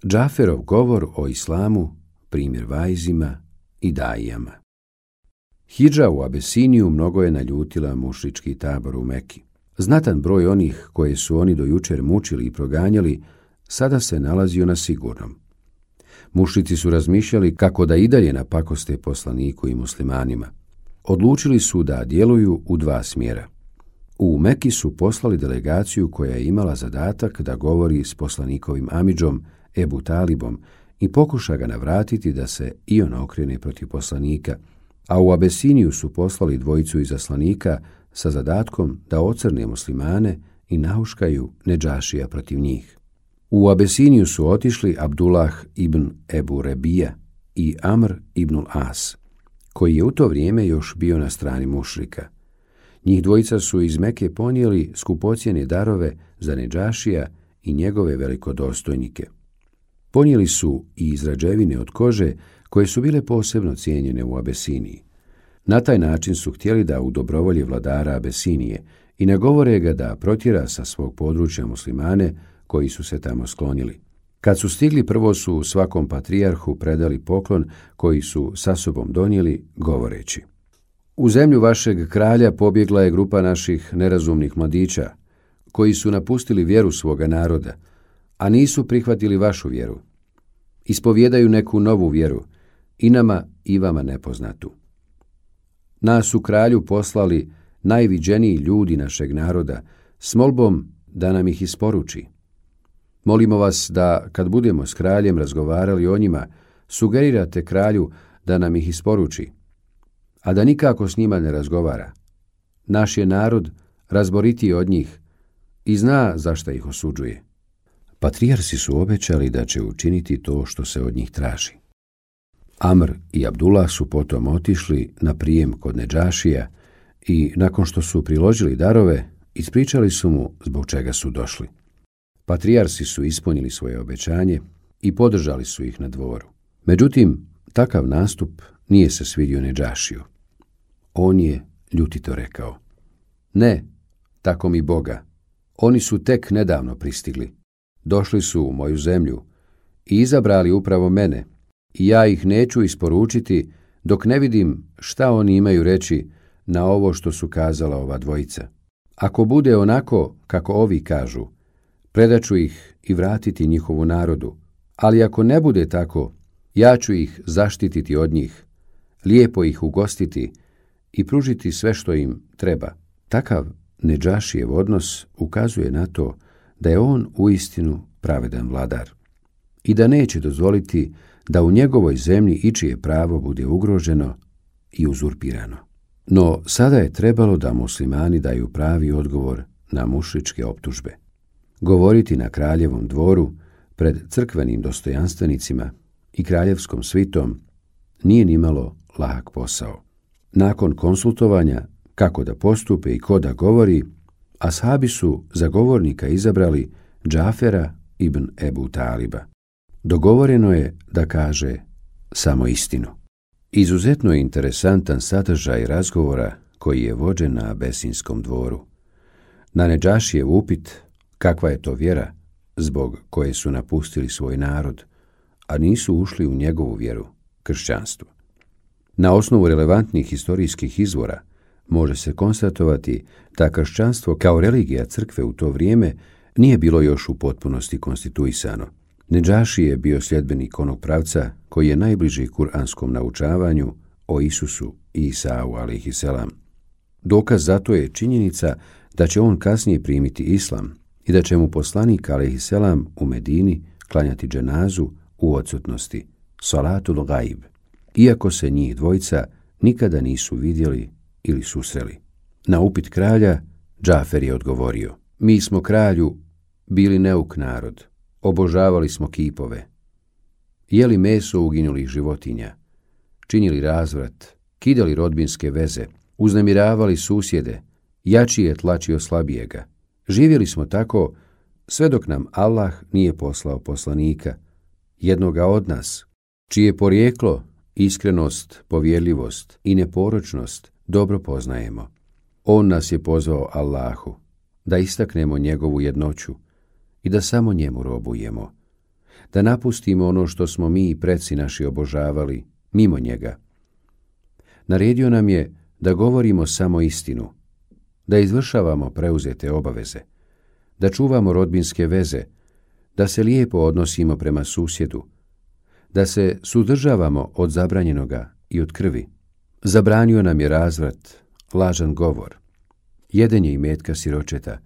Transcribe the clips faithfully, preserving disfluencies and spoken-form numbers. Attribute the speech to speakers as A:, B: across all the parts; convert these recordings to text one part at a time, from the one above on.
A: Džaferov govor o islamu, primjer vajzima i dajijama. Hidža u Abesiniju mnogo je naljutila mušrički tabor u Meki. Znatan broj onih koje su oni do jučer mučili i proganjali, sada se nalazio na sigurnom. Mušrici su razmišljali kako da i dalje napakoste poslaniku i muslimanima. Odlučili su da djeluju u dva smjera. U Meki su poslali delegaciju koja je imala zadatak da govori s poslanikovim amidžom Ebu Talibom i pokuša ga navratiti da se i on okrene protiv poslanika, a u Abesiniju su poslali dvojicu izaslanika sa zadatkom da ocrne muslimane i nahuškaju Nedžašija protiv njih. U Abesiniju su otišli Abdullah ibn Ebu Rebija i Amr ibnul As, koji je u to vrijeme još bio na strani mušrika. Njih dvojica su iz Meke ponijeli skupocjene darove za Nedžašija i njegove velikodostojnike. Ponijeli su i izrađevine od kože koje su bile posebno cijenjene u Abesiniji. Na taj način su htjeli da u dobrovolji vladara Abesinije i nagovore ga da protjera sa svog područja muslimane koji su se tamo sklonili. Kad su stigli, prvo su svakom patrijarhu predali poklon koji su sa sobom donijeli, govoreći: U zemlju vašeg kralja pobjegla je grupa naših nerazumnih mladića, koji su napustili vjeru svoga naroda, a nisu prihvatili vašu vjeru. Ispovjedaju neku novu vjeru, i nama i vama nepoznatu. Nas su kralju poslali najviđeniji ljudi našeg naroda s molbom da nam ih isporuči. Molimo vas da, kad budemo s kraljem razgovarali o njima, sugerirate kralju da nam ih isporuči, a da nikako s njima ne razgovara. Naš je narod razboritiji od njih i zna zašto ih osuđuje. Patrijarsi su obećali da će učiniti to što se od njih traži. Amr i Abdullah su potom otišli na prijem kod Nedžašija i, nakon što su priložili darove, ispričali su mu zbog čega su došli. Patrijarsi su ispunili svoje obećanje i podržali su ih na dvoru. Međutim, takav nastup nije se svidio Nedžašiju. On je ljutito rekao: Ne, tako mi Boga, oni su tek nedavno pristigli. Došli su u moju zemlju i izabrali upravo mene, i ja ih neću isporučiti dok ne vidim šta oni imaju reći na ovo što su kazala ova dvojica. Ako bude onako kako ovi kažu, predaću ih i vratiti njihovu narodu, ali ako ne bude tako, ja ću ih zaštititi od njih, lijepo ih ugostiti i pružiti sve što im treba. Takav Nedžašijev odnos ukazuje na to da je on uistinu pravedan vladar i da neće dozvoliti da u njegovoj zemlji ičije pravo bude ugroženo i uzurpirano. No sada je trebalo da muslimani daju pravi odgovor na mušričke optužbe. Govoriti na kraljevom dvoru pred crkvenim dostojanstvenicima i kraljevskom svitom nije nimalo lahak posao. Nakon konsultovanja kako da postupe i ko da govori, ashabi su za govornika izabrali Džafera ibn Ebu Taliba. Dogovoreno je da kaže samo istinu. Izuzetno je interesantan sadržaj razgovora koji je vođen na Abesinskom dvoru. Na Nedžašijev upit kakva je to vjera zbog koje su napustili svoj narod, a nisu ušli u njegovu vjeru, kršćanstvo. Na osnovu relevantnih historijskih izvora može se konstatovati da kršćanstvo kao religija crkve u to vrijeme nije bilo još u potpunosti konstituisano. Nedžaši je bio sljedbenik onog pravca koji je najbliži kuranskom naučavanju o Isusu i Isau alejhiselam. Dokaz za to je činjenica da će on kasnije primiti islam i da će mu poslanik alejhiselam u Medini klanjati dženazu u odsutnosti, salatul gajb, iako se njih dvojica nikada nisu vidjeli ili susreli. Na upit kralja, Džafer je odgovorio: Mi smo kralju bili neuk narod, obožavali smo kipove, jeli meso uginulih životinja, činili razvrat, kidali rodbinske veze, uznemiravali susjede, jači je tlačio slabijega. Živjeli smo tako sve dok nam Allah nije poslao poslanika, jednoga od nas, čije porijeklo, iskrenost, povjerljivost i neporočnost dobro poznajemo. On nas je pozvao Allahu, da istaknemo njegovu jednoću i da samo njemu robujemo, da napustimo ono što smo mi i preci naši obožavali, mimo njega. Naredio nam je da govorimo samo istinu, da izvršavamo preuzete obaveze, da čuvamo rodbinske veze, da se lijepo odnosimo prema susjedu, da se suzdržavamo od zabranjenoga i od krvi. Zabranio nam je razvrat, lažan govor, jedenje imetka siročeta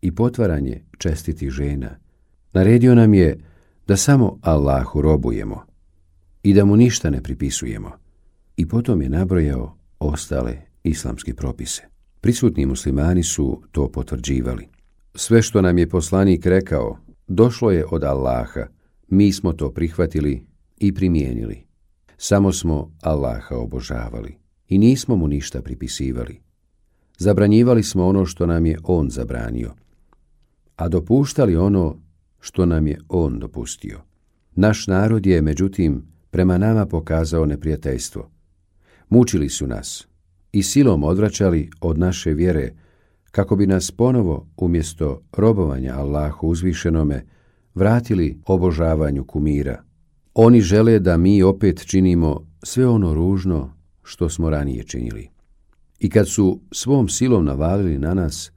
A: i potvaranje čestitih žena. Naredio nam je da samo Allahu robujemo i da mu ništa ne pripisujemo. I potom je nabrojao ostale islamske propise. Prisutni muslimani su to potvrđivali. Sve što nam je poslanik rekao, došlo je od Allaha, mi smo to prihvatili i primijenili. Samo smo Allaha obožavali i nismo mu ništa pripisivali. Zabranjivali smo ono što nam je on zabranio, a dopuštali ono što nam je on dopustio. Naš narod je, međutim, prema nama pokazao neprijateljstvo. Mučili su nas i silom odvraćali od naše vjere, kako bi nas ponovo, umjesto robovanja Allahu uzvišenome, vratili obožavanju kumira. Oni žele da mi opet činimo sve ono ružno što smo ranije činili. I kad su svom silom navalili na nas,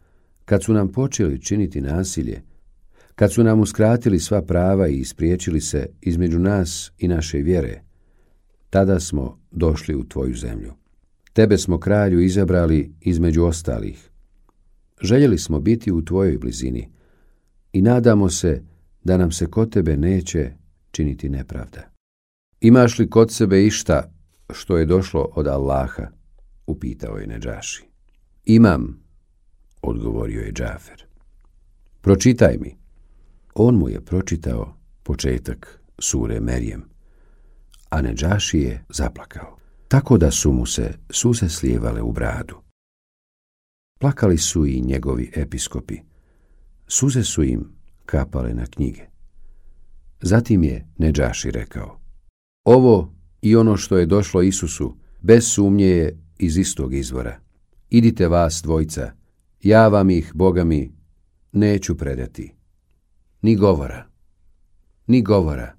A: kad su nam počeli činiti nasilje, kad su nam uskratili sva prava i ispriječili se između nas i naše vjere, tada smo došli u tvoju zemlju. Tebe smo, kralju, izabrali između ostalih. Željeli smo biti u tvojoj blizini i nadamo se da nam se kod tebe neće činiti nepravda. Imaš li kod sebe išta što je došlo od Allaha? Upitao je Nedžaši. Imam, odgovorio je Džafer. Pročitaj mi. On mu je pročitao početak sure Merijem, a Nedžaši je zaplakao, tako da su mu se suze slijevale u bradu. Plakali su i njegovi episkopi. Suze su im kapale na knjige. Zatim je Nedžaši rekao: ovo i ono što je došlo Isusu bez sumnje je iz istog izvora. Idite vas dvojca, ja vam ih, Boga mi, neću predati. Ni govora, ni govora.